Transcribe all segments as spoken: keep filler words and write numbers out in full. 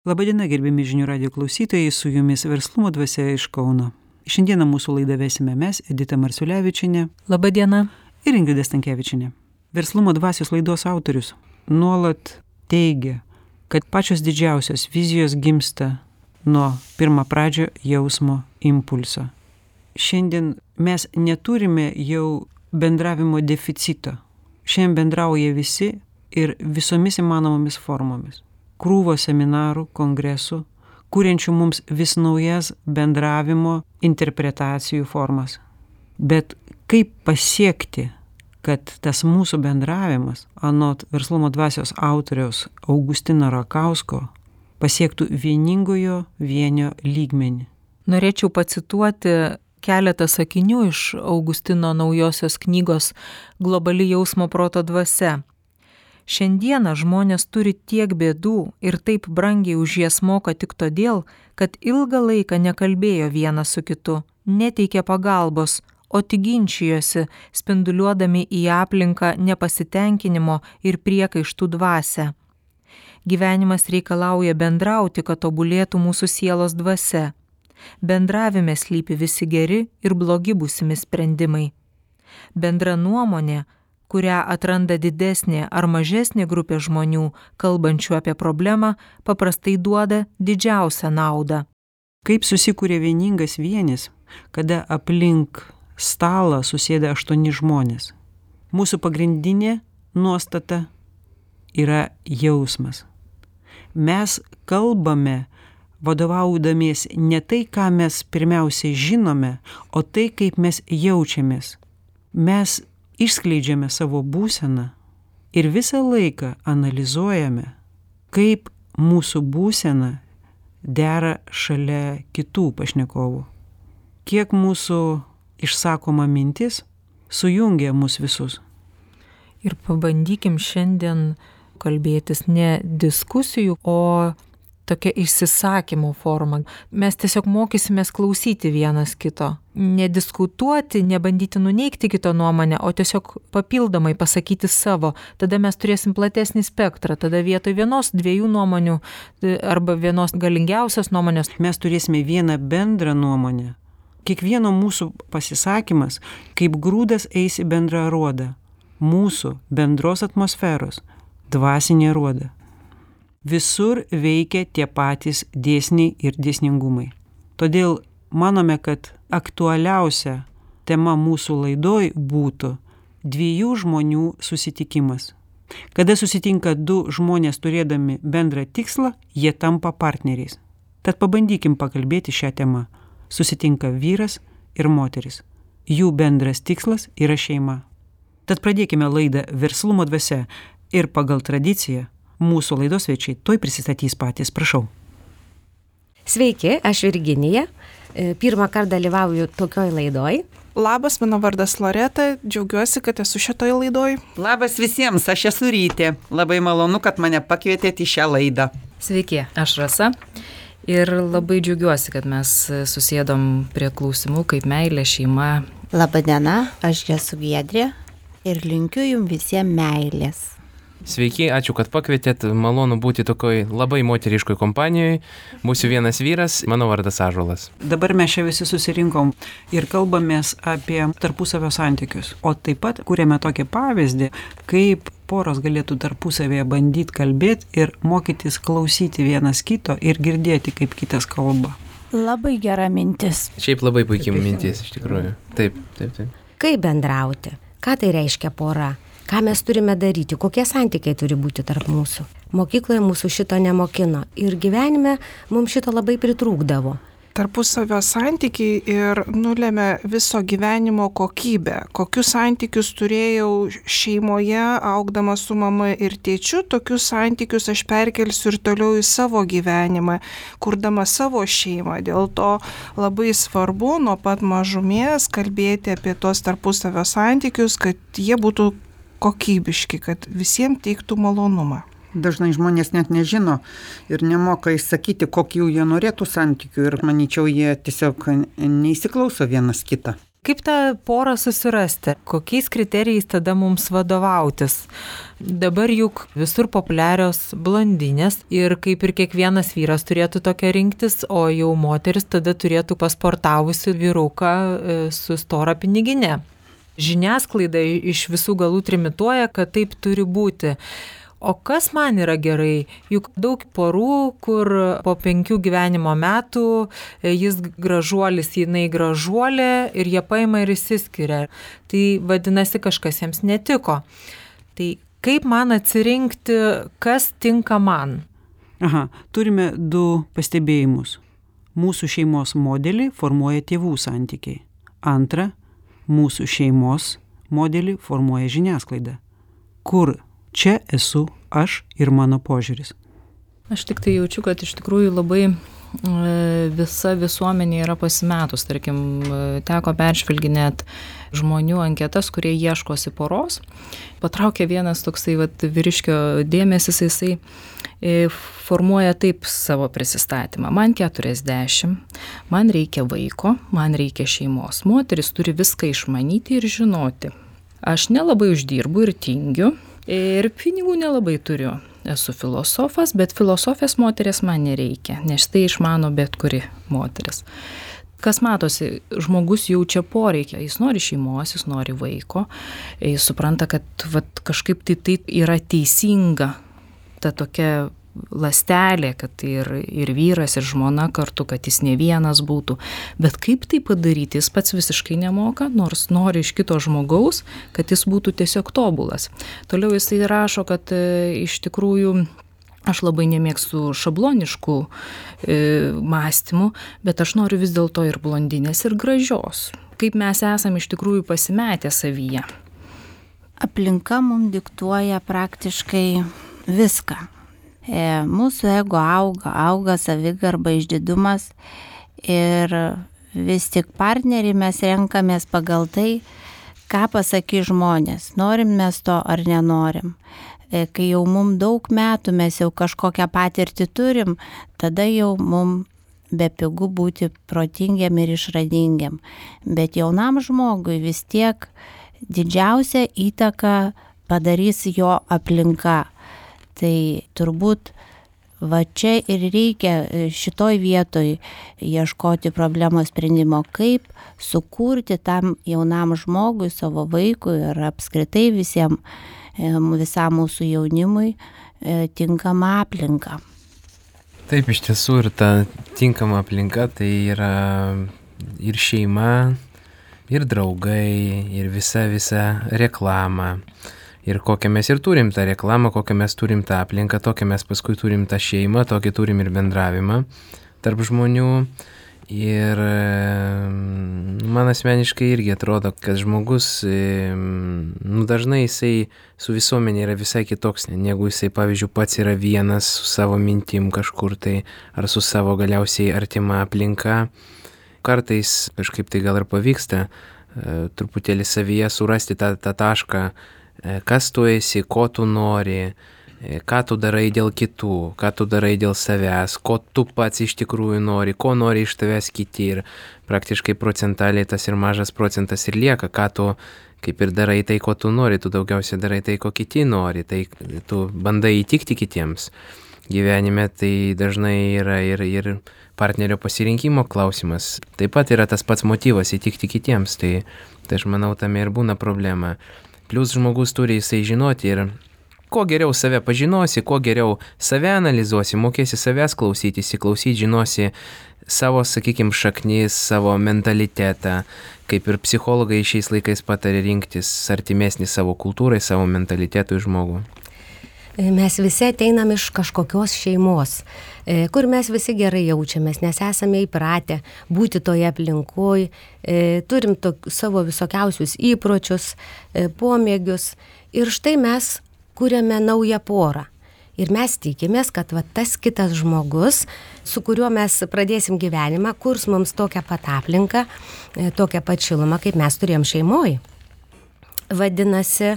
Labadiena, gerbiami žinių radijo klausytojai, su jumis Verslumo dvasia iš Kauno. Šiandieną mūsų laidą vesime mes, Edita Marciulevičienė. Labadiena. Ir Ingrida Stankevičienė. Verslumo dvasios laidos autorius nuolat teigia, kad pačios didžiausios vizijos gimsta nuo pirmo pradžio jausmo impulso. Šiandien mes neturime jau bendravimo deficito. Šiandien bendrauja visi ir visomis įmanomomis formomis. Krūvo seminarų, kongresų, kuriančių mums vis naujas bendravimo interpretacijų formas. Bet kaip pasiekti, kad tas mūsų bendravimas, anot Verslumo dvasios autoriaus Augustino Rakausko, pasiektų vieningojo vienio lygmenį? Norėčiau pacituoti keletą sakinių iš Augustino naujosios knygos Globali jausmo proto dvasia. Šiandieną žmonės turi tiek bėdų ir taip brangiai už jas moka tik todėl, kad ilgą laiką nekalbėjo vienas su kitu, neteikė pagalbos, o tik ginčijosi, spinduliuodami į aplinką nepasitenkinimo ir priekaištų dvasią. Gyvenimas reikalauja bendrauti, kad tobulėtų mūsų sielos dvasia. Bendravime slypi visi geri ir blogi būsimi sprendimai. Bendra nuomonė, kurią atranda didesnė ar mažesnė grupė žmonių, kalbančių apie problemą, paprastai duoda didžiausią naudą. Kaip susikūrė vieningas vienis, kada aplink stalą susėda aštuoni žmonės? Mūsų pagrindinė nuostata yra jausmas. Mes kalbame vadovaudamiesi ne tai, ką mes pirmiausiai žinome, o tai, kaip mes jaučiamės. Mes išskleidžiame savo būseną ir visą laiką analizuojame, kaip mūsų būsena dera šalia kitų pašnekovų. Kiek mūsų išsakoma mintis sujungia mus visus. Ir pabandykim šiandien kalbėtis ne diskusijų, o tokia išsisakymo forma. Mes tiesiog mokysimės klausyti vienas kito. Nediskutuoti, nebandyti nuneigti kito nuomonę, o tiesiog papildomai pasakyti savo. Tada mes turėsim platesnį spektrą. Tada vietoj vienos, dviejų nuomonių arba vienos galingiausios nuomonės mes turėsime vieną bendrą nuomonę. Kiekvieno mūsų pasisakymas kaip grūdas eis į bendrą aruodą. Mūsų bendros atmosferos dvasinė aruoda. Visur veikia tie patys dėsniai ir dėsningumai. Todėl manome, kad aktualiausia tema mūsų laidoj būtų dviejų žmonių susitikimas. Kada susitinka du žmonės turėdami bendrą tikslą, jie tampa partneriais. Tad pabandykim pakalbėti šią temą. Susitinka vyras ir moteris. Jų bendras tikslas yra šeima. Tad pradėkime laidą Verslumo dvasia ir pagal tradiciją mūsų laidos svečiai tuoj prisistatys patys, prašau. Sveiki, aš Virginija. Pirmą kartą dalyvauju tokioj laidoj. Labas, mano vardas Loreta, džiaugiuosi, kad esu šitoj laidoj. Labas visiems, aš esu Rytė. Labai malonu, kad mane pakvietėte į šią laidą. Sveiki, aš Rasa. Ir labai džiaugiuosi, kad mes susėdom prie klausimų kaip meilė, šeima. Labadiena, aš esu Giedrė ir linkiu jums visiems meilės. Sveiki, ačiū, kad pakvietėt. Malonu būti tokioj labai moteriškoj kompanijoje. Mūsų vienas vyras, mano vardas Ąžuolas. Dabar mes čia visi susirinkom ir kalbamės apie tarpusavio santykius. O taip pat kūrėme tokį pavyzdį, kaip poros galėtų tarpusavėje bandyti kalbėti ir mokytis klausyti vienas kito ir girdėti, kaip kitas kalba. Labai gera mintis. Šiaip labai puikiai mintis, iš tikrųjų. Taip, taip, taip. Kaip bendrauti? Ką tai reiškia pora? Ką mes turime daryti, kokie santykiai turi būti tarp mūsų. Mokykloje mūsų šito nemokino ir gyvenime mums šito labai pritrūkdavo. Tarpusavio santykiai ir nulėmė viso gyvenimo kokybę. Kokius santykius turėjau šeimoje, augdama su mama ir tėčiu, tokius santykius aš perkelsiu ir toliau į savo gyvenimą, kurdama savo šeimą. Dėl to labai svarbu nuo pat mažumės kalbėti apie tos tarpusavio santykius, kad jie būtų kokybiški, kad visiems teiktų malonumą. Dažnai žmonės net nežino ir nemoka išsakyti, kokių jie norėtų santykių ir manyčiau, jie tiesiog neįsiklauso vienas kitą. Kaip tą porą susirasti? Kokiais kriterijais tada mums vadovautis? Dabar juk visur populiarios blondinės ir kaip ir kiekvienas vyras turėtų tokią rinktis, o jau moteris tada turėtų pasportavusi vyruką su stora piniginė. Žiniasklaida iš visų galų trimituoja, kad taip turi būti. O kas man yra gerai? Juk daug porų, kur po penkių gyvenimo metų jis gražuolis, jinai gražuolė ir jie paima ir išsiskiria. Tai vadinasi, kažkas jiems netiko. Tai kaip man atsirinkti, kas tinka man? Aha, turime du pastebėjimus. Mūsų šeimos modelį formuoja tėvų santykiai. Antra, mūsų šeimos modelį formuoja žiniasklaida. Kur čia esu aš ir mano požiūris. Aš tik tai jaučiu, kad iš tikrųjų labai visa visuomenė yra pasimetus. Tarkim, teko peržvelginėt žmonių anketas, kurie ieškosi poros. Patraukė vienas toksai vat, vyriškio dėmesis, jisai formuoja taip savo prisistatymą. Man keturiasdešimt, man reikia vaiko, man reikia šeimos. Moteris turi viską išmanyti ir žinoti. Aš nelabai uždirbu ir tingiu. Ir pinigų nelabai turiu. Esu filosofas, bet filosofės moteris man nereikia, nes tai išmano bet kuri moteris. Kas matosi, žmogus jaučia poreikį, jis nori šeimos, jis nori vaiko, jis supranta, kad vat, kažkaip tai taip yra teisinga ta tokia lastelė, kad ir, ir vyras, ir žmona kartu, kad jis ne vienas būtų. Bet kaip tai padaryti, jis pats visiškai nemoka, nors nori iš kito žmogaus, kad jis būtų tiesiog tobulas. Toliau jisai rašo, kad e, iš tikrųjų aš labai nemėgstu šabloniškų e, mąstymų, bet aš noriu vis dėlto ir blondinės, ir gražios. Kaip mes esam iš tikrųjų pasimetę savyje. Aplinka mums diktuoja praktiškai viską. Mūsų ego auga, auga savigarba, išdidumas ir vis tik partnerį mes renkamės pagal tai, ką pasakys žmonės, norim mes to ar nenorim. Kai jau mums daug metų mes jau kažkokią patirtį turim, tada jau mums bepigu būti protingiam ir išradingiam. Bet jaunam žmogui vis tiek didžiausią įtaką padarys jo aplinka. Tai turbūt va čia ir reikia šitoj vietoj ieškoti problemos sprendimo, kaip sukurti tam jaunam žmogui, savo vaikui ir apskritai visiem, visam mūsų jaunimui tinkamą aplinką. Taip, iš tiesų ir ta tinkama aplinka tai yra ir šeima, ir draugai, ir visa visa reklama. Ir kokią mes ir turim tą reklamą, kokią mes turim tą aplinką, tokią mes paskui turim tą šeimą, tokį turim ir bendravimą tarp žmonių. Ir man asmeniškai irgi atrodo, kad žmogus, nu, dažnai jisai su visuomenė yra visai kitoks, negu jisai, pavyzdžiui, pats yra vienas su savo mintim kažkur tai, ar su savo galiausiai artima aplinka. Kartais kažkaip tai gal ir pavyksta truputėlį savyje surasti tą, tą tašką, kas tu esi, ko tu nori, ką tu darai dėl kitų, ką tu darai dėl savęs, ko tu pats iš tikrųjų nori, ko nori iš tavęs kiti ir praktiškai procentaliai tas ir mažas procentas ir lieka, ką tu kaip ir darai tai, ko tu nori, tu daugiausiai darai tai, ko kiti nori, tai tu bandai įtikti kitiems. Gyvenime tai dažnai yra ir, ir partnerio pasirinkimo klausimas. Taip pat yra tas pats motyvas įtikti kitiems, tai, tai aš manau tame ir būna problema. Plius žmogus turi jisai žinoti ir kuo geriau save pažinosi, kuo geriau save analizuosi, mokėsi savęs klausyti, įsiklausyti, žinosi savo, sakykime, šaknis, savo mentalitetą, kaip ir psichologai šiais laikais patarė rinktis artimesnį savo kultūrai, savo mentalitetui žmogų. Mes visi ateinam iš kažkokios šeimos, kur mes visi gerai jaučiamės, nes esame įpratę būti toje aplinkoje, turim to, savo visokiausius įpročius, pomėgius ir štai mes kuriame naują porą. Ir mes tikimės, kad va, tas kitas žmogus, su kuriuo mes pradėsim gyvenimą, kurs mums tokią pat aplinką, tokią pat šilumą, kaip mes turėjom šeimoje. Vadinasi,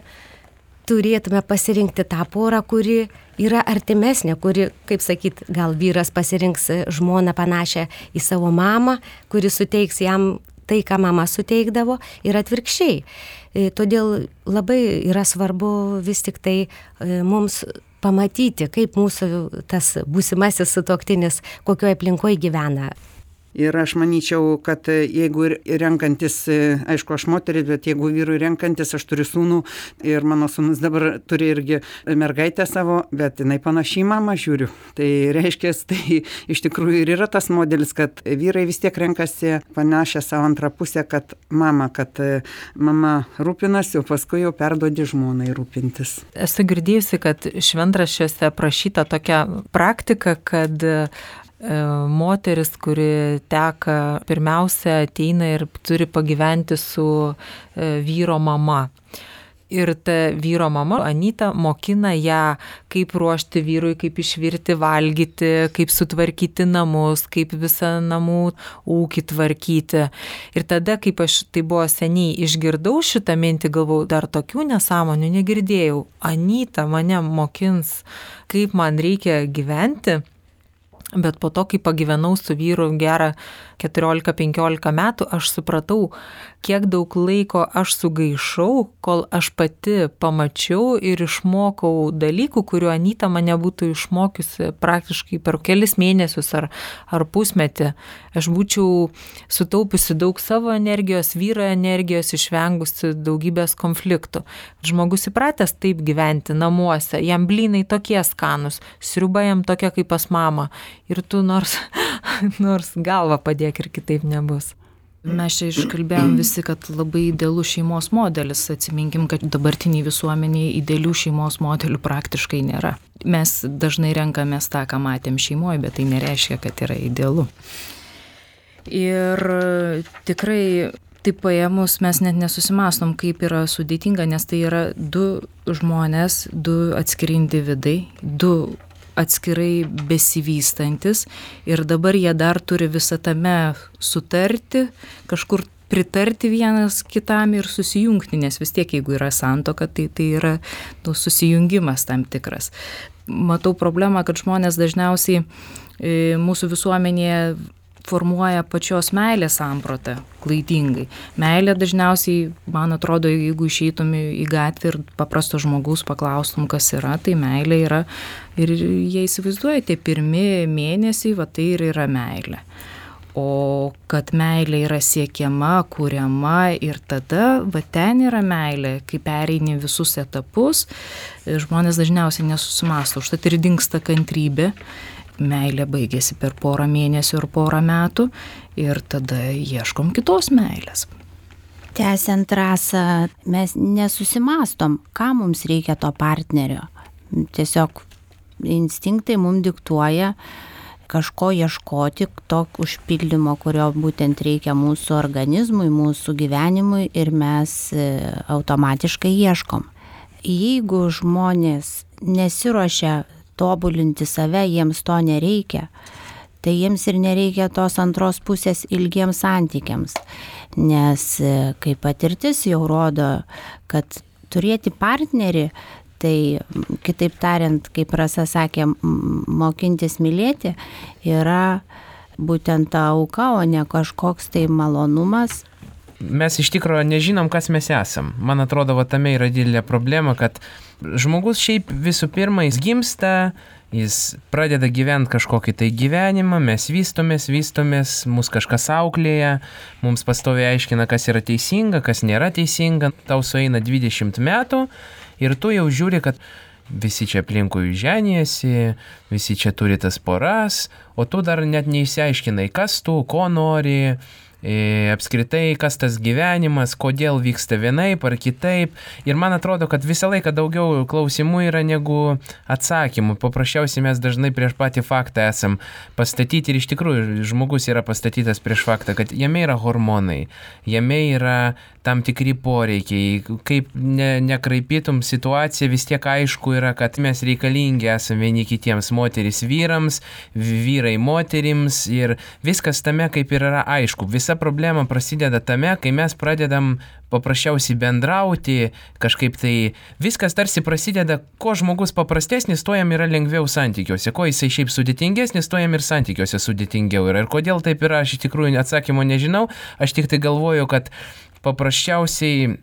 turėtume pasirinkti tą porą, kuri yra artimesnė, kuri, kaip sakyt, gal vyras pasirinks žmoną panašią į savo mamą, kuri suteiks jam tai, ką mama suteikdavo, ir atvirkščiai. Todėl labai yra svarbu vis tik tai mums pamatyti, kaip mūsų tas būsimasis sutuoktinis, kokioje aplinkoje gyvena. Ir aš manyčiau, kad jeigu renkantis, aišku, aš moteris, bet jeigu vyrui renkantis, aš turiu sūnų ir mano sūnus dabar turi irgi mergaitę savo, bet jinai panašiai mamą žiūriu. Tai reiškia, tai iš tikrųjų ir yra tas modelis, kad vyrai vis tiek renkasi panašią savo antrą pusę, kad mama, kad mama rūpinasi, o paskui jau perduodi žmonai rūpintis. Esu girdėjusi, kad šventraščiuose aprašyta tokia praktika, kad moteris, kuri teka, pirmiausia ateina ir turi pagyventi su vyro mama. Ir ta vyro mama, Anyta, mokina ją, kaip ruošti vyrui, kaip išvirti valgyti, kaip sutvarkyti namus, kaip visą namų ūkį tvarkyti. Ir tada, kaip aš tai buvo seniai išgirdau šitą mintį, galvau, dar tokių nesąmonių negirdėjau. Anyta mane mokins, kaip man reikia gyventi. Bet po to, kai pagyvenau su vyru gerą keturiolika penkiolika metų, aš supratau, kiek daug laiko aš sugaišau, kol aš pati pamačiau ir išmokau dalykų, kuriuo Anyta mane būtų išmokiusi praktiškai per kelis mėnesius ar, ar pusmetį. Aš būčiau sutaupiusi daug savo energijos, vyro energijos, išvengusi daugybės konfliktų. Žmogus įpratęs taip gyventi namuose, jam blynai tokie skanus, sriuba jam tokia kaip pas mamą. Ir tu nors, nors galvą padėk ir kitaip nebus. Mes čia iškalbėjom visi, kad labai idealus šeimos modelis. Atsiminkim, kad dabartiniai visuomeniai idealių šeimos modelių praktiškai nėra. Mes dažnai renkamės tą, ką matėm šeimoje, bet tai nereiškia, kad yra idealu. Ir tikrai taip paėmus mes net nesusimastom, kaip yra sudėtinga, nes tai yra du žmonės, du atskiri individai, du atskirai besivystantis ir dabar jie dar turi visą tame sutarti, kažkur pritarti vienas kitam ir susijungti, nes vis tiek, jeigu yra santuoka, tai tai yra nu, susijungimas tam tikras. Matau problemą, kad žmonės dažniausiai e, mūsų visuomenėje formuoja pačios meilės sampratą klaidingai. Meilė dažniausiai, man atrodo, jeigu išeitum į gatvę ir paprasto žmogaus paklaustum, kas yra, tai meilė yra, ir jie įsivaizduoja, tie pirmi mėnesiai, va tai ir yra meilė. O kad meilė yra siekiama, kuriama ir tada, va ten yra meilė, kai pereini visus etapus, žmonės dažniausiai nesusimąsto, užtat ir dingsta kantrybė. Meilė baigėsi per porą mėnesių ir porą metų ir tada ieškom kitos meilės. Tęsiant rasą, mes nesusimastom, ką mums reikia to partnerio. Tiesiog instinktai mums diktuoja kažko ieškoti, to užpildymo, kurio būtent reikia mūsų organizmui, mūsų gyvenimui ir mes automatiškai ieškom. Jeigu žmonės nesiruošia tobulinti save, jiems to nereikia, tai jiems ir nereikia tos antros pusės ilgiems santykiams, nes kaip patirtis jau rodo, kad turėti partnerį, tai kitaip tariant, kaip Rasa sakė, mokintis mylėti, yra būtent ta auka, o ne kažkoks tai malonumas. Mes iš tikrųjų nežinom, kas mes esam. Man atrodo, va tame yra didelė problema, kad žmogus šiaip visų pirma, jis gimsta, jis pradeda gyventi kažkokį tai gyvenimą, mes vystomės, vystomės, mus kažkas auklėja, mums pastoviai aiškina, kas yra teisinga, kas nėra teisinga, tau sueina dvidešimt metų ir tu jau žiūri, kad visi čia aplinkui ženijasi, visi čia turi tas poras, o tu dar net neįsiaiškinai, kas tu, ko nori, E, apskritai, kas tas gyvenimas, kodėl vyksta vienaip ar kitaip. Ir man atrodo, kad visą laiką daugiau klausimų yra negu atsakymų. Paprasčiausiai mes dažnai prieš patį faktą esam pastatyti ir iš tikrųjų žmogus yra pastatytas prieš faktą, kad jame yra hormonai, jame yra tam tikri poreikiai. Kaip ne, nekraipytum situaciją, vis tiek aišku yra, kad mes reikalingi esame vieni kitiems, moteris vyrams, vyrai moterims ir viskas tame kaip ir yra aišku. Vis visa problema prasideda tame, kai mes pradedam paprasčiausiai bendrauti, kažkaip tai viskas tarsi prasideda, ko žmogus paprastesnis, to jam yra lengviau santykiuose, ko jisai šiaip sudėtingesnis, to jam ir santykiuose sudėtingiau yra. Ir kodėl taip yra, aš iš tikrųjų atsakymo nežinau, aš tik tai galvoju, kad paprasčiausiai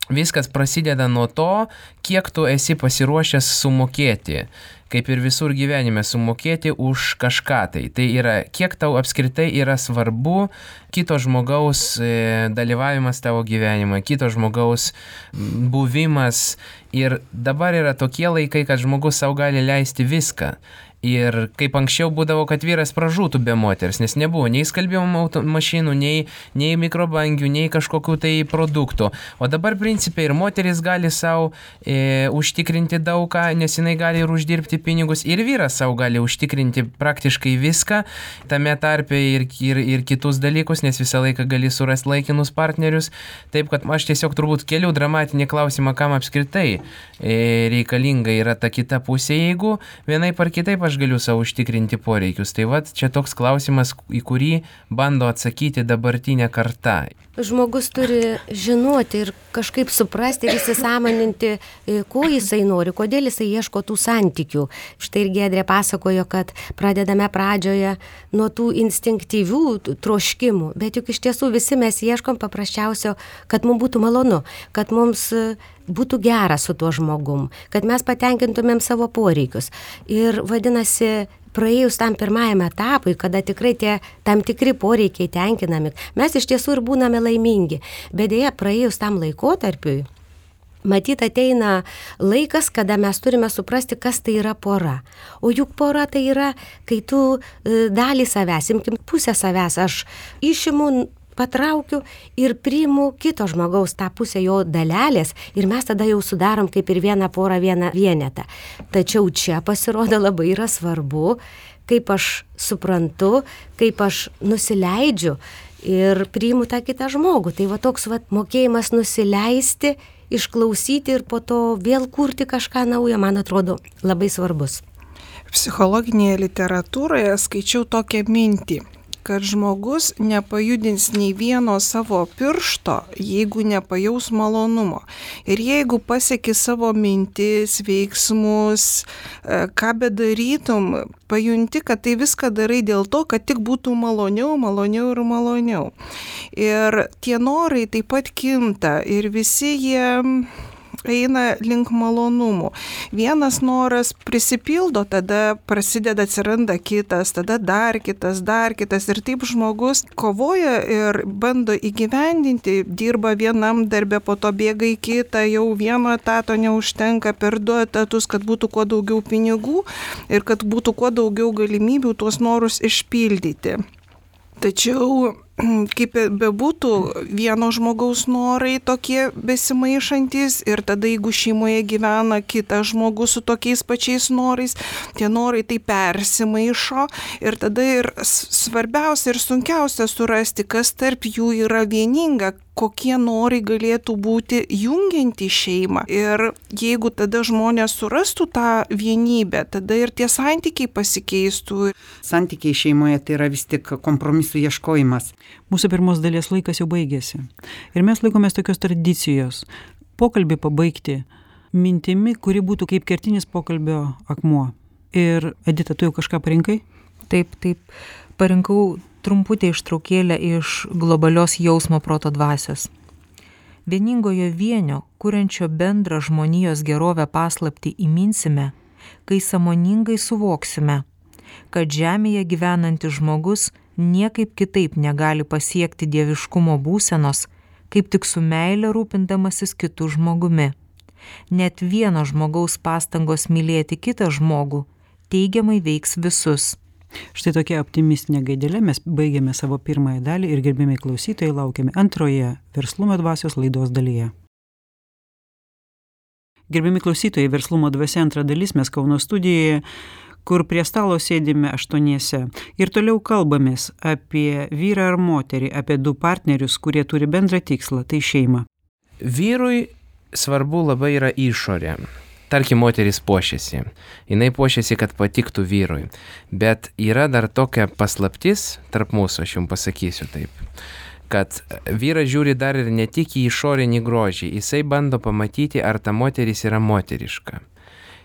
viskas prasideda nuo to, kiek tu esi pasiruošęs sumokėti, kaip ir visur gyvenime, sumokėti už kažką tai. Tai yra, kiek tau apskritai yra svarbu kito žmogaus dalyvavimas tavo gyvenime, kito žmogaus buvimas. Ir dabar yra tokie laikai, kad žmogus savo gali leisti viską. Ir kaip anksčiau būdavo, kad vyras pražūtų be moters, nes nebuvo nei skalbimo mašinų, nei, nei mikrobangių, nei kažkokių tai produktų. O dabar principiai ir moteris gali savo e, užtikrinti daugą, nes jinai gali ir uždirbti pinigus, ir vyras savo gali užtikrinti praktiškai viską, tame tarpe ir, ir, ir kitus dalykus, nes visą laiką gali surasti laikinus partnerius. Taip, kad aš tiesiog turbūt keliu dramatinį klausimą, kam apskritai e, reikalinga yra ta kita pusė, jeigu vienaip ar kitaip aš galiu savo užtikrinti poreikius. Tai vat čia toks klausimas, į kurį bando atsakyti dabartinė karta. Žmogus turi žinoti ir kažkaip suprasti ir įsisąmoninti, ko jisai nori, kodėl jisai ieško tų santykių. Štai ir Giedrė pasakojo, kad pradedame pradžioje nuo tų instinktyvių troškimų, bet juk iš tiesų visi mes ieškom paprasčiausio, kad mums būtų malonu, kad mums būtų gera su tuo žmogum, kad mes patenkintumėm savo poreikius. Ir vadinasi, praėjus tam pirmajam etapui, kada tikrai tie tam tikri poreikiai tenkinami, mes iš tiesų ir būname laimingi. Bet dėja, praėjus tam laikotarpiui, matyt, ateina laikas, kada mes turime suprasti, kas tai yra pora. O juk pora tai yra, kai tu dalį savęs, imkim pusę savęs, aš išimu, patraukiu ir priimu kito žmogaus tą pusę jo dalelės ir mes tada jau sudarom kaip ir vieną porą, vieną vienetą. Tačiau čia pasirodo labai yra svarbu, kaip aš suprantu, kaip aš nusileidžiu ir priimu tą kitą žmogų. Tai va toks va mokėjimas nusileisti, išklausyti ir po to vėl kurti kažką naujo, man atrodo, labai svarbus. Psichologinėje literatūroje skaičiau tokią mintį, kad žmogus nepajudins nei vieno savo piršto, jeigu nepajaus malonumo. Ir jeigu pasieki savo mintis, veiksmus, ką bedarytum, pajunti, kad tai viską darai dėl to, kad tik būtų maloniau, maloniau ir maloniau. Ir tie norai taip pat kinta ir visi jie eina link malonumų. Vienas noras prisipildo, tada prasideda, atsiranda kitas, tada dar kitas, dar kitas. Ir taip žmogus kovoja ir bando įgyvendinti, dirba vienam darbe, po to bėga į kitą, jau vieno etato neužtenka, per du etatus, kad būtų kuo daugiau pinigų ir kad būtų kuo daugiau galimybių tuos norus išpildyti. Tačiau, kaip bebūtų, vieno žmogaus norai tokie besimaišantis ir tada, jeigu šeimoje gyvena kitas žmogus su tokiais pačiais norais, tie norai tai persimaišo ir tada ir svarbiausia ir sunkiausia surasti, kas tarp jų yra vieninga, kokie norai galėtų būti jungianti šeimą. Ir jeigu tada žmonės surastų tą vienybę, tada ir tie santykiai pasikeistų. Santykiai šeimoje tai yra vis tik kompromisų ieškojimas. Mūsų pirmos dalies laikas jau baigėsi. Ir mes laikomės tokios tradicijos. Pokalbį pabaigti mintimi, kuri būtų kaip kertinis pokalbio akmuo. Ir Edita, tu jau kažką parinkai? Taip, taip. Parinkau trumputę ištraukėlę iš globalios jausmo proto dvasios. Vieningojo vienio, kuriančio bendrą žmonijos gerovę paslaptį įminsime, kai sąmoningai suvoksime, kad žemėje gyvenantis žmogus niekaip kitaip negali pasiekti dieviškumo būsenos, kaip tik su meile rūpindamasis kitu žmogumi. Net vieno žmogaus pastangos mylėti kitą žmogų teigiamai veiks visus. Štai tokia optimistinė gaidelė mes baigėme savo pirmąją dalį ir gerbiami klausytojai laukiame antroje Verslumo dvasios laidos dalyje. Gerbiami klausytojai, Verslumo dvasia antra dalis, mes Kauno studijoje, kur prie stalo sėdime aštuoniese ir toliau kalbamės apie vyrą ar moterį, apie du partnerius, kurie turi bendrą tikslą, tai šeimą. Vyrui svarbu labai yra išorė. tarkim, moteris puošiasi. Jinai puošiasi, kad patiktų vyrui. Bet yra dar tokia paslaptis tarp mūsų, aš jums pasakysiu taip, kad vyras žiūri dar ir ne tik į išorinį grožį, jisai bando pamatyti, ar ta moteris yra moteriška.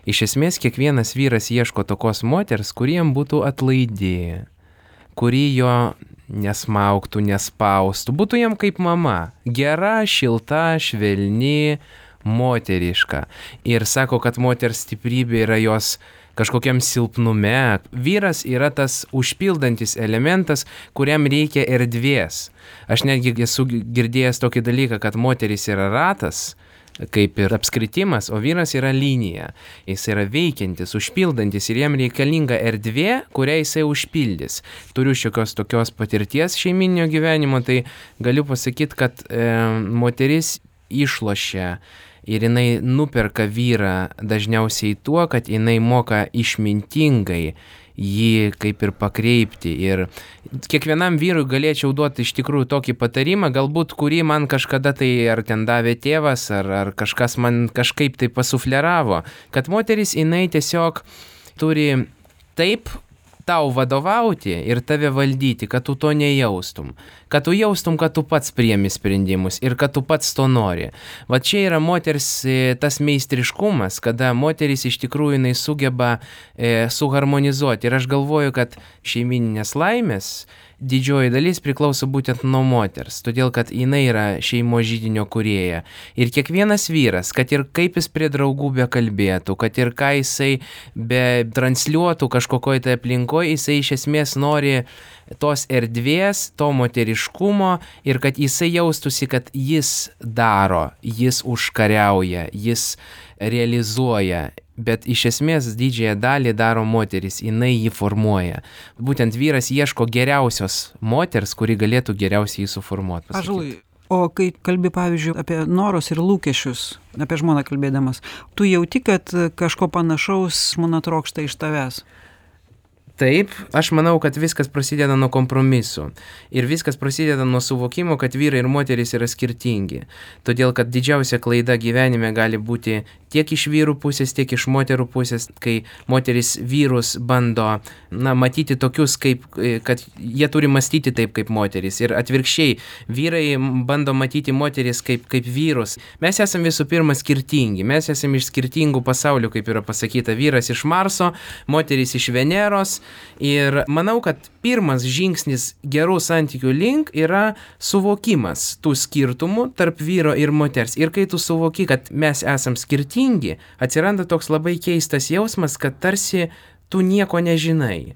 Iš esmės, kiekvienas vyras ieško tokios moters, kuriem būtų atlaidi, kuri jo nesmauktų, nespaustų, būtų jam kaip mama, gera, šilta, švelni, moteriška. Ir sako, kad moters stiprybė yra jos kažkokiam silpnume. Vyras yra tas užpildantis elementas, kuriam reikia erdvės. Aš netgi esu girdėjęs tokį dalyką, kad moteris yra ratas, kaip ir apskritimas, o vyras yra linija. Jis yra veikiantis, užpildantis ir jam reikalinga erdvė, kurią jisai užpildys. Turiu šiokios tokios patirties šeiminio gyvenimo, tai galiu pasakyti, kad e, moteris išlošia ir jinai nuperka vyrą dažniausiai tuo, kad jinai moka išmintingai jį kaip ir pakreipti. Ir kiekvienam vyrui galėčiau duoti iš tikrųjų tokį patarimą, galbūt kurį man kažkada tai ar ten davė tėvas, ar, ar kažkas man kažkaip tai pasufleravo, kad moteris jinai tiesiog turi taip tau vadovauti ir tave valdyti, kad tu to nejaustum. Kad tu jaustum, kad tu pats priemi sprendimus ir kad tu pats to nori. Va čia yra moters tas meistriškumas, kada moteris iš tikrųjų jinai sugeba e, suharmonizuoti. Ir aš galvoju, kad šeimininės laimės didžioji dalis priklauso būtent nuo moters, todėl kad jinai yra šeimos židinio kūrėja. Ir kiekvienas vyras, kad ir kaip jis prie draugų bekalbėtų, kad ir ką jisai be transliuotų kažkokioj tai aplinkoje, jisai iš esmės nori tos erdvės, to moteriškumo ir kad jisai jaustųsi, kad jis daro, jis užkariauja, jis realizuoja. Bet iš esmės didžiąją dalį daro moteris, jinai jį formuoja. Būtent vyras ieško geriausios moters, kuri galėtų geriausiai jį suformuoti. Ąžuolai, o kai kalbi, pavyzdžiui, apie norus ir lūkesčius, apie žmoną kalbėdamas, tu jauti, kad kažko panašaus žmona trokšta iš tavęs? Taip, aš manau, kad viskas prasideda nuo kompromisų. Ir viskas prasideda nuo suvokimo, kad vyrai ir moteris yra skirtingi. Todėl, kad didžiausia klaida gyvenime gali būti tiek iš vyrų pusės, tiek iš moterų pusės, kai moteris vyrus bando, na, matyti tokius, kaip, kad jie turi mąstyti taip kaip moteris. Ir atvirkščiai, vyrai bando matyti moteris kaip, kaip vyrus. Mes esame visų pirma skirtingi. Mes esame iš skirtingų pasaulių, kaip yra pasakyta. Vyras iš Marso, moteris iš Veneros. Ir manau, kad pirmas žingsnis gerų santykių link yra suvokimas tų skirtumų tarp vyro ir moters. Ir kai tu suvoki, kad mes esam skirtingi, atsiranda toks labai keistas jausmas, kad tarsi tu nieko nežinai.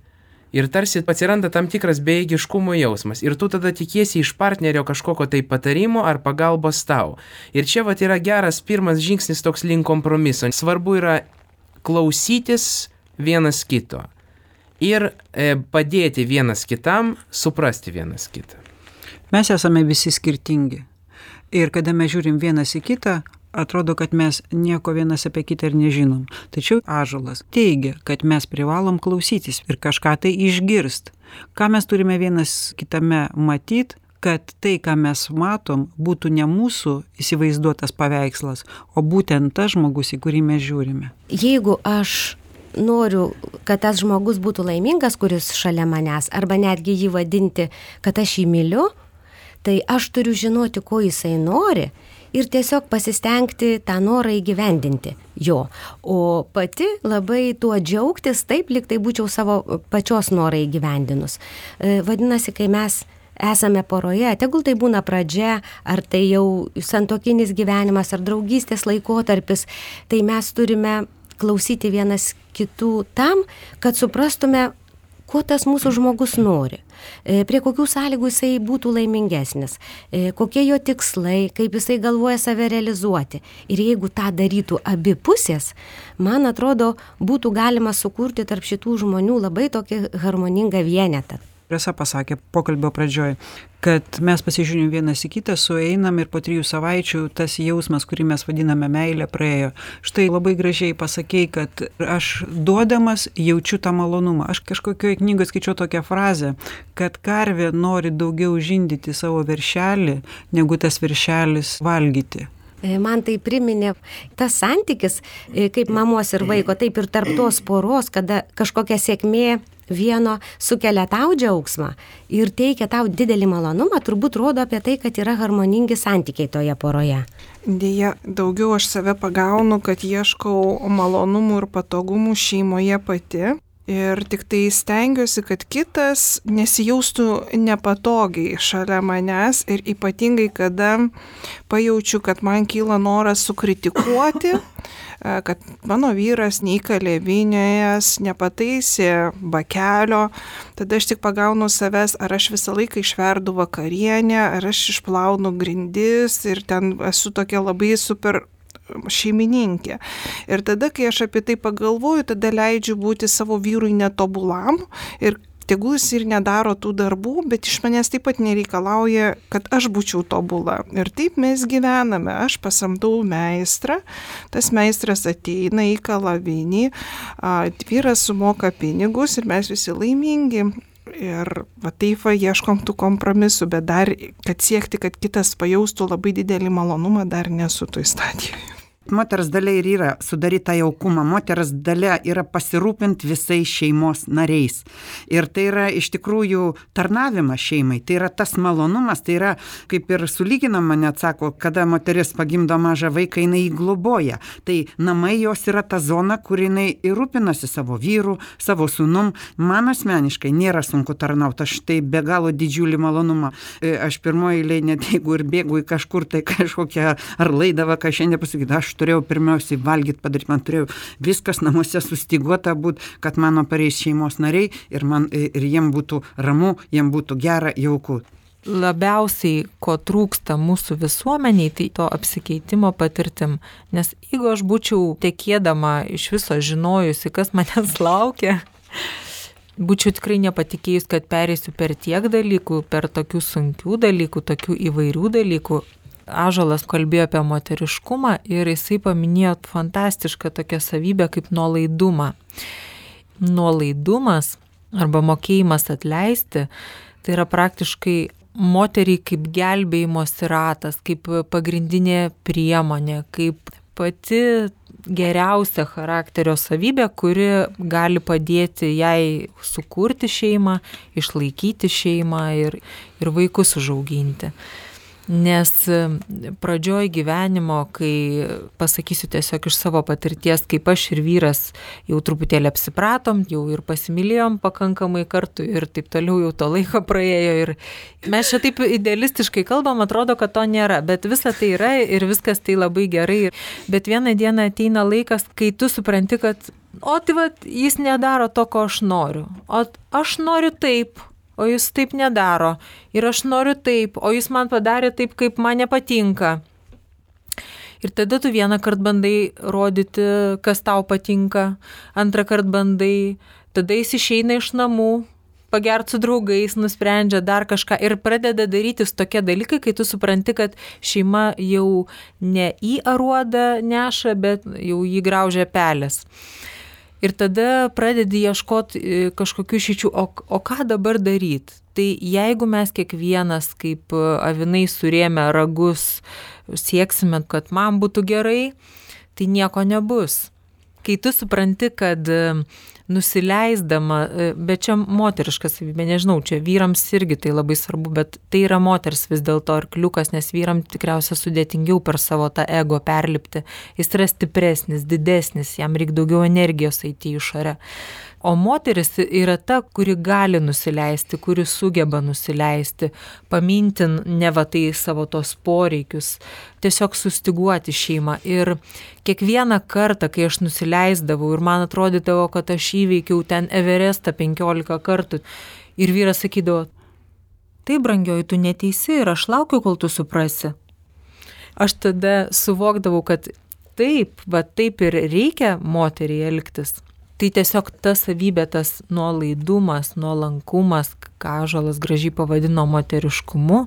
Ir tarsi atsiranda tam tikras bejėgiškumo jausmas. Ir tu tada tikiesi iš partnerio kažkokio tai patarimo ar pagalbos tau. Ir čia vat yra geras pirmas žingsnis toks link kompromiso. Svarbu yra klausytis vienas kito. Ir e, padėti vienas kitam, suprasti vienas kitą. Mes esame visi skirtingi. Ir kada mes žiūrim vienas į kitą, atrodo, kad mes nieko vienas apie kitą ir nežinom. Tačiau Ąžuolas teigia, kad mes privalom klausytis ir kažką tai išgirst. Ką mes turime vienas kitame matyt, kad tai, ką mes matom, būtų ne mūsų įsivaizduotas paveikslas, o būtent tas žmogus, į kurį mes žiūrime. Jeigu aš noriu, kad tas žmogus būtų laimingas, kuris šalia manęs, arba netgi jį vadinti, kad aš jį myliu, tai aš turiu žinoti, ko jisai nori ir tiesiog pasistengti tą norą įgyvendinti jo. O pati labai tuo džiaugtis, taip, lyg tai būčiau savo pačios norą įgyvendinus. Vadinasi, kai mes esame poroje, tegul tai būna pradžia, ar tai jau santuokinis gyvenimas, ar draugystės laikotarpis, tai mes turime klausyti vienas kitų tam, kad suprastume, ko tas mūsų žmogus nori, prie kokių sąlygų jisai būtų laimingesnis, kokie jo tikslai, kaip jisai galvoja save realizuoti. Ir jeigu tą darytų abi pusės, man atrodo, būtų galima sukurti tarp šitų žmonių labai tokį harmoningą vienetą. Rasa pasakė pokalbio pradžioj, kad mes pasižiūrim vienas į kitą, sueinam ir po trijų savaičių tas jausmas, kurį mes vadiname meilė, praėjo. Štai labai gražiai pasakei, kad aš duodamas jaučiu tą malonumą. Aš kažkokioje knygoje skaičiau tokią frazę, kad karvė nori daugiau žindyti savo veršelį, negu tas veršelis valgyti. man tai priminė tas santykis, kaip mamos ir vaiko, taip ir tarp tos poros, kada kažkokia sėkmė vieno sukelia tau džiaugsmą ir teikia tau didelį malonumą, turbūt rodo apie tai, kad yra harmoningi santykiai toje poroje. Dėja, daugiau aš save pagaunu, kad ieškau malonumų ir patogumų šeimoje pati. Ir tik tai stengiuosi, kad kitas nesijaustų nepatogiai šalia manęs ir ypatingai, kada pajaučiu, kad man kyla noras sukritikuoti, kad mano vyras neįkalė vinėjas, nepataisė bakelio, tada aš tik pagaunu savęs, ar aš visą laiką išverdu vakarienę, ar aš išplaunu grindis ir ten esu tokia labai super šeimininkė. Ir tada, kai aš apie tai pagalvoju, tada leidžiu būti savo vyrui netobulam ir tegul jis ir nedaro tų darbų, bet iš manęs taip pat nereikalauja, kad aš būčiau tobula. Ir taip mes gyvename. Aš pasamdau meistrą, tas meistras ateina, įkala vinį, vyras sumoka pinigus ir mes visi laimingi. Ir va taip va ieškom tų kompromisų, bet dar, kad siekti, kad kitas pajaustų labai didelį malonumą, dar nesu toj stadijoje. Moters dalia ir yra sudaryti tą jaukumą. Moters dalia yra pasirūpinti visais šeimos nariais. Ir tai yra iš tikrųjų tarnavimas šeimai. Tai yra tas malonumas, tai yra kaip ir sulyginama, net sako, kada moteris pagimdo mažą vaiką, jinai jį globoja. Tai namai jos yra ta zona, kur jinai ir rūpinasi savo vyru, savo sūnum. Man asmeniškai nėra sunku tarnauti. Aš tai be galo didžiulį malonumą. Aš pirmoji eilėje, net jeigu ir bėgu į kažkur, tai kažkokią ar laidavą, ką šiandien pasakyti, aš turėjau pirmiausiai valgyti, padaryti, man turėjau viskas namuose sustiguota būti, kad mano pareis šeimos nariai ir, man, ir jiem būtų ramu, jiem būtų gera, jauku. Labiausiai, ko trūksta mūsų visuomeniai, tai to apsikeitimo patirtim. Nes jeigu aš būčiau tekėdama iš viso žinojusi, kas manęs laukia, būčiau tikrai nepatikėjus, kad pereisiu per tiek dalykų, per tokių sunkių dalykų, tokių įvairių dalykų. Ąžuolas kalbėjo apie moteriškumą ir jisai paminėjo fantastišką tokią savybę kaip nuolaidumą. Nuolaidumas arba mokėjimas atleisti, tai yra praktiškai moteriai kaip gelbėjimosi ratas, kaip pagrindinė priemonė, kaip pati geriausia charakterio savybė, kuri gali padėti jai sukurti šeimą, išlaikyti šeimą ir, ir vaikus užauginti. Nes pradžioj gyvenimo, kai pasakysiu tiesiog iš savo patirties, kaip aš ir vyras jau truputėlį apsipratom, jau ir pasimylėjom pakankamai kartų ir taip toliau jau to laiko praėjo ir mes čia taip idealistiškai kalbam, atrodo, kad to nėra, bet visa tai yra ir viskas tai labai gerai. Bet vieną dieną ateina laikas, kai tu supranti, kad o tai va, jis nedaro to, ko aš noriu, o aš noriu taip. O jis taip nedaro. Ir aš noriu taip, o jis man padarė taip, kaip man nepatinka. Ir tada tu vieną kartą bandai rodyti, kas tau patinka, antrą kartą bandai, tada jis išeina iš namų, pagerti su draugais, nusprendžia dar kažką ir pradeda darytis tokie dalykai, kai tu supranti, kad šeima jau ne į aruodą neša, bet jau jį graužia pelės. Ir tada pradedi ieškoti kažkokių išeičių, o, o ką dabar daryti? Tai jeigu mes kiekvienas kaip avinai surėmę ragus sieksime, kad man būtų gerai, tai nieko nebus. Kai tu supranti, kad nusileisdama, bet čia moteriška savybė, nežinau, čia vyrams irgi tai labai svarbu, bet tai yra moters vis dėlto arkliukas, nes vyram tikriausia sudėtingiau per savo tą ego perlipti. Jis yra stipresnis, didesnis, jam reikia daugiau energijos eiti į išorę. O moteris yra ta, kuri gali nusileisti, kuri sugeba nusileisti, paminti ne va tai savo tos poreikius, tiesiog sustiguoti šeimą. Ir kiekvieną kartą, kai aš nusileisdavau ir man atrodydavo, kad aš įveikiau ten Everestą penkiolika kartų, ir vyras sakydavo, tai brangioji, tu neteisi ir aš laukiu, kol tu suprasi. Aš tada suvokdavau, kad taip, va taip ir reikia moteriai elgtis. Tai tiesiog ta savybė, tas nuolaidumas, nuolankumas, ką Ąžuolas gražiai pavadino moteriškumu,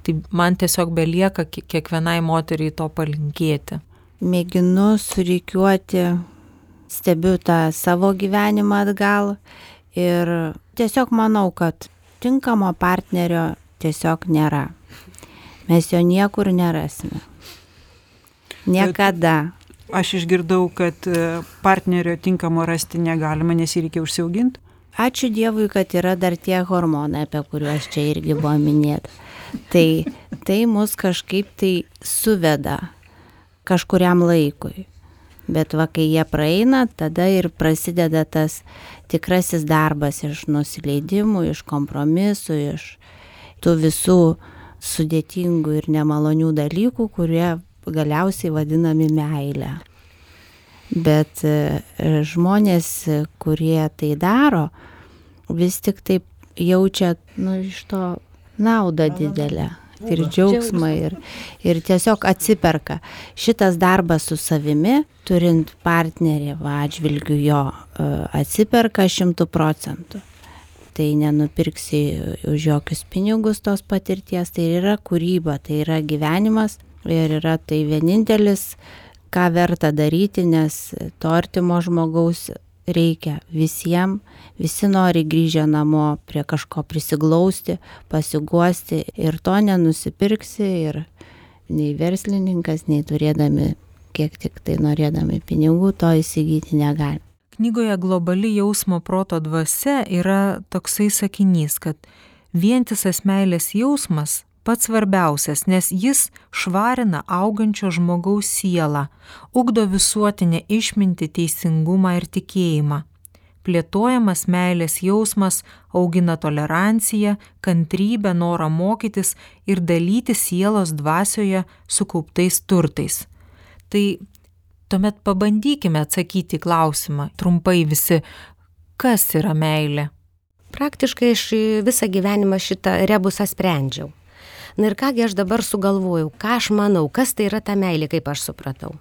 tai man tiesiog belieka kiekvienai moteriai to palinkėti. Mėginu surikiuoti, stebiu tą savo gyvenimą atgal ir tiesiog manau, kad tinkamo partnerio tiesiog nėra. Mes jo niekur nerasime. Niekada. Aš išgirdau, kad partnerio tinkamo rasti negalima, nes jį reikia užsiauginti. Ačiū Dievui, kad yra dar tie hormonai, apie kuriuos čia irgi buvo minėta. Tai, tai mus kažkaip tai suveda kažkuriam laikui. Bet va, kai jie praeina, tada ir prasideda tas tikrasis darbas iš nusileidimų, iš kompromisų, iš tų visų sudėtingų ir nemalonių dalykų, kurie galiausiai vadinami meile. Bet žmonės, kurie tai daro, vis tik taip jaučia, nu, iš to naudą didelę ir džiaugsmą ir, ir tiesiog atsiperka. Šitas darbas su savimi, turint partnerį atžvilgiu jo, atsiperka šimtų procentų. Tai nenupirksi už jokius pinigus tos patirties, tai yra kūryba, tai yra gyvenimas ir yra tai vienintelis, ką verta daryti, nes to artimo žmogaus reikia visiems, visi nori grįžę namo prie kažko prisiglausti, pasiguosti ir to nenusipirksi ir nei verslininkas, nei turėdami, kiek tik tai norėdami pinigų, to įsigyti negali. Knygoje Globali jausmo proto dvasia yra toksai sakinys, kad vientisas meilės jausmas pats svarbiausias, nes jis švarina augančio žmogaus sielą, ugdo visuotinę išmintį, teisingumą ir tikėjimą. Plėtojamas meilės jausmas augina toleranciją, kantrybę, norą mokytis ir dalyti sielos dvasioje sukauptais turtais. Tai tuomet pabandykime atsakyti klausimą trumpai visi, kas yra meilė. Praktiškai aš visą gyvenimą šitą rebusą sprendžiau. Na ir kągi aš dabar sugalvojau, ką aš manau, kas tai yra ta meilė, kaip aš supratau.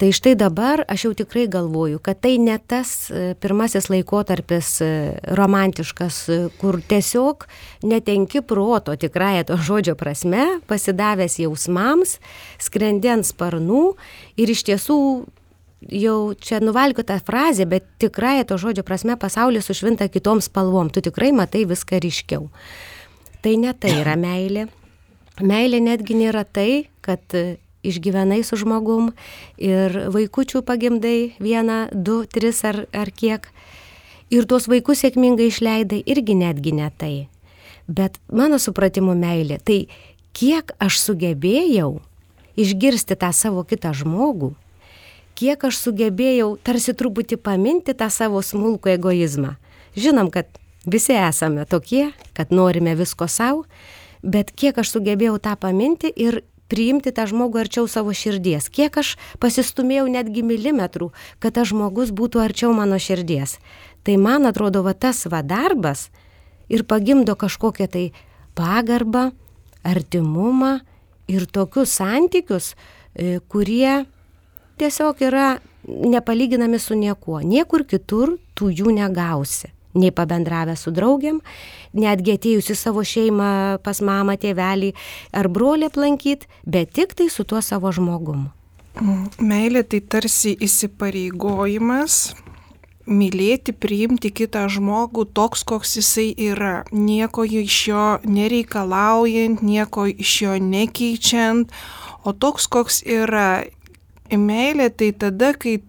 Tai štai dabar aš jau tikrai galvoju, kad tai ne tas pirmasis laikotarpis romantiškas, kur tiesiog netenki proto tikrąja to žodžio prasme, pasidavęs jausmams, skrendi ant sparnų ir iš tiesų jau čia nuvalkiota frazė, bet tikrąja to žodžio prasme pasaulis sušvinta kitom spalvom, tu tikrai matai viską ryškiau. Tai ne tai yra meilė. Meilė netgi nėra tai, kad išgyvenai su žmogum ir vaikučių pagimdai vieną, du, tris ar, ar kiek. Ir tuos vaikus sėkmingai išleidai, irgi netgi ne tai. Bet mano supratimu meilė, tai kiek aš sugebėjau išgirsti tą savo kitą žmogų, kiek aš sugebėjau tarsi truputį paminti tą savo smulkų egoizmą. Žinom, kad visi esame tokie, kad norime visko savo, bet kiek aš sugebėjau tą paminti ir priimti tą žmogų arčiau savo širdies. Kiek aš pasistumėjau netgi milimetrų, kad tas žmogus būtų arčiau mano širdies. Tai man atrodo, va tas va darbas ir pagimdo kažkokią tai pagarbą, artimumą ir tokius santykius, kurie tiesiog yra nepalyginami su niekuo. Niekur kitur tu jų negausi. Nei pabendravę su draugiam, netgi atėjus į savo šeimą pas mamą, tėvelį ar brolį aplankyti, bet tik tai su tuo savo žmogum. Meilė tai tarsi įsipareigojimas mylėti, priimti kitą žmogų toks, koks jisai yra. Nieko iš jo nereikalaujant, nieko iš jo nekeičiant, o toks, koks yra. Meilė tai tada, kai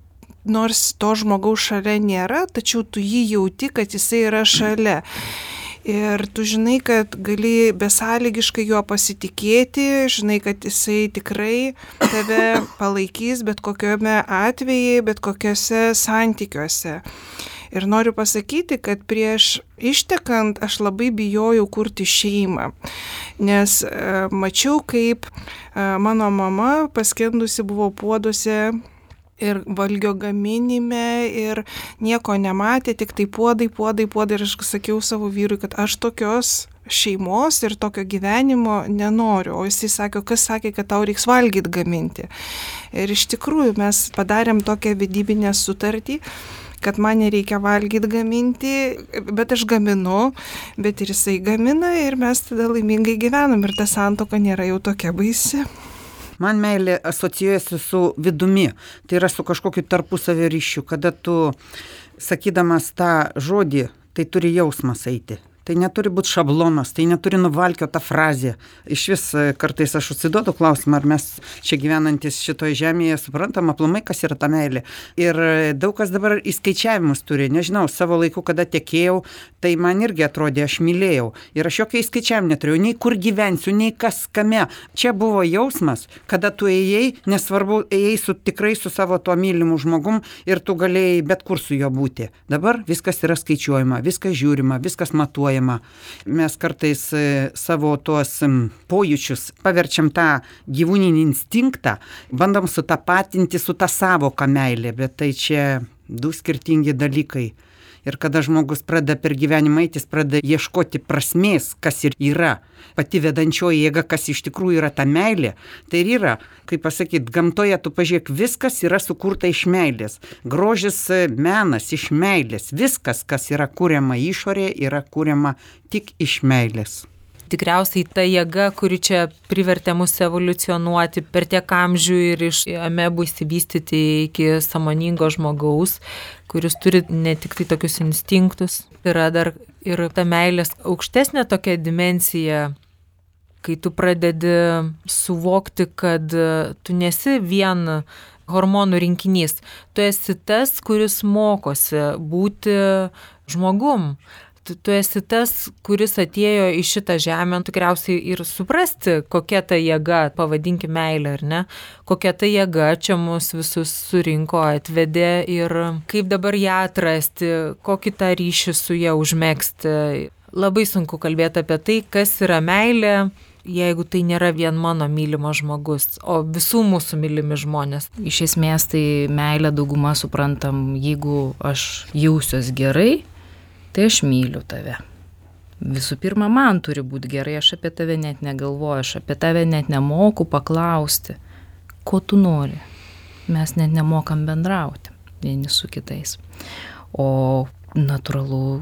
nors to žmogaus šalia nėra, tačiau tu jį jauti, kad jisai yra šalia. Ir tu žinai, kad gali besąlygiškai juo pasitikėti, žinai, kad jisai tikrai tave palaikys bet kokiame atveju, bet kokiuose santykiuose. Ir noriu pasakyti, kad prieš ištekant aš labai bijojau kurti šeimą, nes e, mačiau, kaip e, mano mama paskendusi buvo puoduose ir valgio gaminime ir nieko nematė, tik tai puodai, puodai, puodai. Ir aš sakiau savo vyrui, kad aš tokios šeimos ir tokio gyvenimo nenoriu. O jisai sakė, kas sakė, kad tau reiks valgyti gaminti. Ir iš tikrųjų mes padarėm tokią vedybinę sutartį, kad man nereikia valgyti gaminti, bet aš gaminu, bet ir jisai gamina ir mes tada laimingai gyvenam ir ta santuoka nėra jau tokia baisi. Man meilė asocijuojasi su vidumi, tai yra su kažkokiu tarpusavio ryšiu, kada tu, sakydamas tą žodį, tai turi jausmas eiti. Tai neturi būti šablonas, tai neturi nuvalkiota frazė. Iš vis kartais aš atsiduodu klausimą, ar mes čia gyvenantis šitoje žemėje suprantam aplamai, kas yra ta meilė. Ir daug kas dabar įskaičiavimus turi. Nežinau, savo laiku, kada tekėjau, tai man irgi atrodė, aš mylėjau. Ir aš jokio įskaičiavimo neturėjau, nei kur gyvensiu, nei kas kame. Čia buvo jausmas, kada tu ėjai, nesvarbu, ėjai su, tikrai su savo tuo mylimu žmogum ir tu galėjai bet kur su juo būti. Dabar viskas yra skaičiuojama, viskas žiūrima, viskas matuojama. Mes kartais savo tuos pojūčius paverčiam tą gyvūninį instinktą, bandom sutapatinti su tą savoką meilė, bet tai čia du skirtingi dalykai. Ir kada žmogus pradeda per gyvenimą eiti, jis pradeda ieškoti prasmės, kas ir yra. Pati vedančioji jėga, kas iš tikrųjų yra ta meilė, tai ir yra, kaip pasakyti, gamtoje tu pažiūrėk, viskas yra sukurta iš meilės. Grožis, menas iš meilės. Viskas, kas yra kuriama išorėje, yra kuriama tik iš meilės. Tikriausiai ta jėga, kuri čia privertė mus evoliucionuoti per tiek amžių ir iš amebų įsivystyti iki sąmoningo žmogaus, kuris turi ne tik tai tokius instinktus, yra dar ir ta meilės aukštesnė tokia dimensija, kai tu pradedi suvokti, kad tu nesi vien hormonų rinkinys, tu esi tas, kuris mokosi būti žmogum. Tu, tu esi tas, kuris atėjo į šitą žemę, tikriausiai ir suprasti, kokia ta jėga, pavadinkime meilė, ar ne, kokia ta jėga čia mus visus surinko, atvedė ir kaip dabar ją atrasti, kokį tą ryšį su ją užmegzti. Labai sunku kalbėti apie tai, kas yra meilė, jeigu tai nėra vien mano mylimas žmogus, o visų mūsų mylimi žmonės. Iš esmės tai meilę dauguma suprantam, jeigu aš jausiuos gerai, tai aš myliu tave. Visų pirma, man turi būti gerai, aš apie tave net negalvoju, aš apie tave net nemoku paklausti, ko tu nori. Mes net nemokam bendrauti vieni su kitais. O natūralu,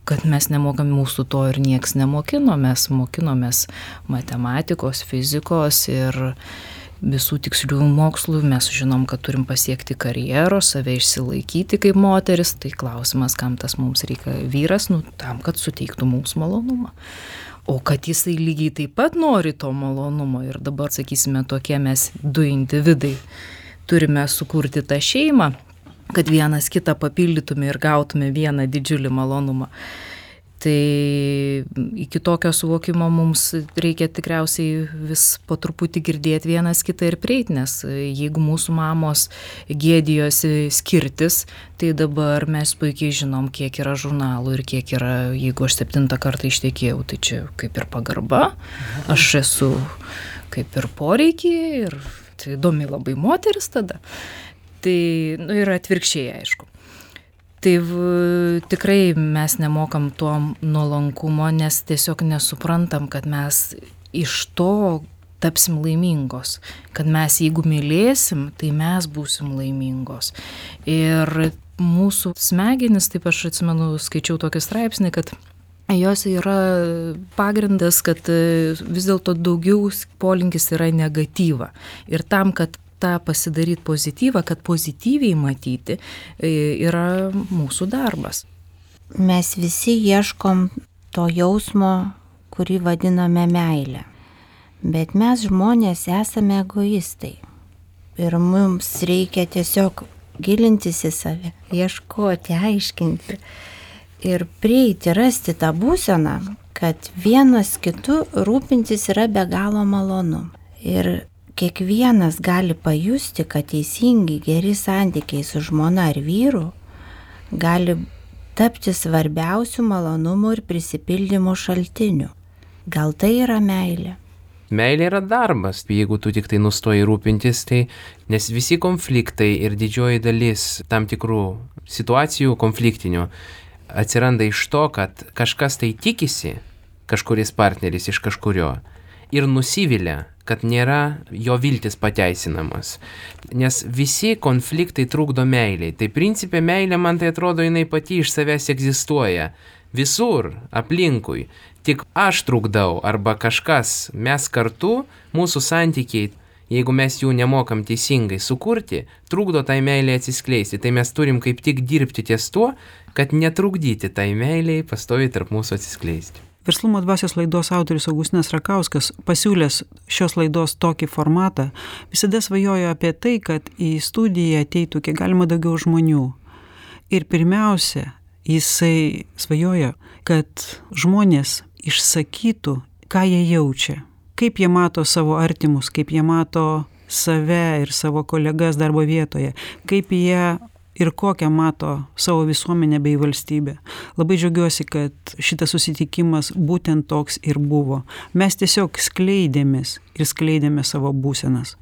kad mes nemokam, mūsų to ir nieks nemokino, mes mokinomės matematikos, fizikos ir visų tikslių mokslų, mes žinom, kad turim pasiekti karjeros, save išsilaikyti kaip moteris, tai klausimas, kam tas mums reikia vyras, nu tam, kad suteiktų mums malonumą. O kad jisai lygiai taip pat nori to malonumo ir dabar, sakysime, tokie mes du individai turime sukurti tą šeimą, kad vienas kitą papildytume ir gautume vieną didžiulį malonumą. Tai iki tokio suvokimo mums reikia tikriausiai vis po truputį girdėti vienas kitą ir prieiti, nes jeigu mūsų mamos gėdijosi skirtis, tai dabar mes puikiai žinom, kiek yra žurnalų ir kiek yra, jeigu aš septintą kartą ištekėjau, tai čia kaip ir pagarba, aš esu kaip ir poreikiai ir tai įdomi labai moteris tada. Tai nu, yra atvirkščiai, aišku. Tai v, tikrai mes nemokam to nuolankumo, nes tiesiog nesuprantam, kad mes iš to tapsim laimingos. Kad mes jeigu mylėsim, tai mes būsim laimingos. Ir mūsų smegenys, taip aš atsimenu, skaičiau tokį straipsnį, kad jos yra pagrindas, kad vis dėlto daugiau polinkis yra negatyva. Ir tam, kad tą pasidaryti pozityvą, kad pozityviai matyti, yra mūsų darbas. Mes visi ieškom to jausmo, kurį vadiname meilę. Bet mes žmonės esame egoistai. Ir mums reikia tiesiog gilintis į save, ieškoti, aiškinti. Ir prieiti, rasti tą būseną, kad vienas kitu rūpintis yra be galo malonu. Ir kiekvienas gali pajusti, kad teisingi, geri santykiai su žmona ar vyru gali tapti svarbiausių malonumų ir prisipildymo šaltinių. Gal tai yra meilė? Meilė yra darbas, jeigu tu tik tai nustoji rūpintis, tai nes visi konfliktai ir didžioji dalis tam tikrų situacijų konfliktinių atsiranda iš to, kad kažkas tai tikisi, kažkuris partneris iš kažkurio, ir nusivilia, kad nėra jo viltis pateisinamas. Nes visi konfliktai trukdo meiliai. Tai principė meilė, man tai atrodo, jinai pati iš savęs egzistuoja. Visur, aplinkui. Tik aš trukdau arba kažkas, mes kartu, mūsų santykiai jeigu mes jų nemokam teisingai sukurti, trukdo tai meiliai atsiskleisti. Tai mes turim kaip tik dirbti ties tuo, kad netrukdyti tai meiliai pastoviai tarp mūsų atsiskleisti. Verslumo dvasios laidos autorius Augustinas Rakauskas, pasiūlęs šios laidos tokį formatą, visada svajojo apie tai, kad į studiją ateitų kiek galima daugiau žmonių. Ir pirmiausia, jisai svajojo, kad žmonės išsakytų, ką jie jaučia, kaip jie mato savo artimus, kaip jie mato save ir savo kolegas darbo vietoje, kaip jie ir kokią mato savo visuomenę bei valstybę. Labai džiaugiuosi, kad šitas susitikimas būtent toks ir buvo. Mes tiesiog skleidėmės ir skleidėme savo būsenas.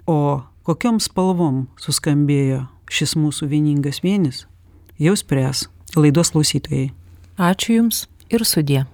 O kokiom spalvom suskambėjo šis mūsų vieningas vienis, jau spręs laidos klausytojai. Ačiū Jums ir sudie.